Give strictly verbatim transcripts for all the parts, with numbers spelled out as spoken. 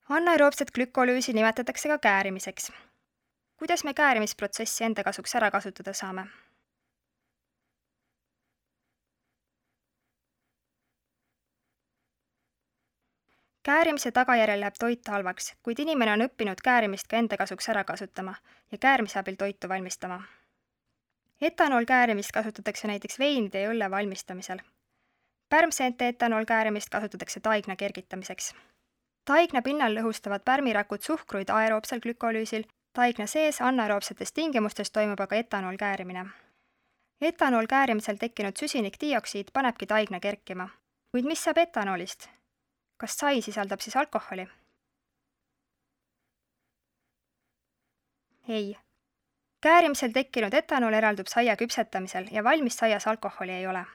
Anaeroobset glükolüüsi nimetatakse ka käärimiseks. Kuidas me käärimisprotsessi enda kasuks ära kasutada saame? Käärimise tagajärjel läheb toit halvaks, kuid inimene on õppinud käärimist ka enda kasuks ära kasutama ja käärimise abil toitu valmistama. Etanoolkäärimist kasutatakse näiteks veinide ja õlle valmistamisel. Pärmseente etanoolkäärimist kasutatakse taigna kergitamiseks. Taigna pinnal lõhustavad pärmirakud suhkruid aeroobsel glükolüüsil, taigna sees anaeroobsetes tingimustes toimub aga etanoolkäärimine. Etanoolkäärimisel tekkinud süsinikdioksiid panebki taigna kerkima. Kuid mis saab etanoolist? Kas sai sisaldab siis alkoholi? Ei. Käärimisel tekkinud etanool eraldub saia küpsetamisel ja valmis saias alkoholi ei ole.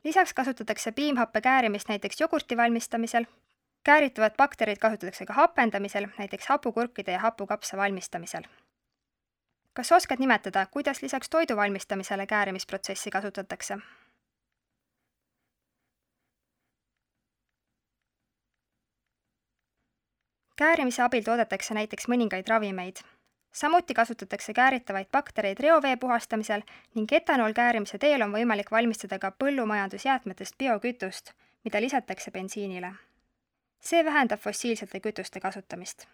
Lisaks kasutatakse piimhappe käärimist näiteks jogurti valmistamisel. Käärituvad bakterid kasutatakse ka hapendamisel, näiteks hapukurkide ja hapukapsa valmistamisel. Kas oskad nimetada, kuidas lisaks toidu valmistamisele käärimisprotsessi kasutatakse? Käärimise abil toodetakse näiteks mõningaid ravimeid. Samuti kasutatakse kääritavaid baktereid reovee puhastamisel ning etanoolkäärimise teel on võimalik valmistada ka põllumajandusjäätmetest biokütust, mida lisatakse bensiinile. See vähendab fossiilsete kütuste kasutamist.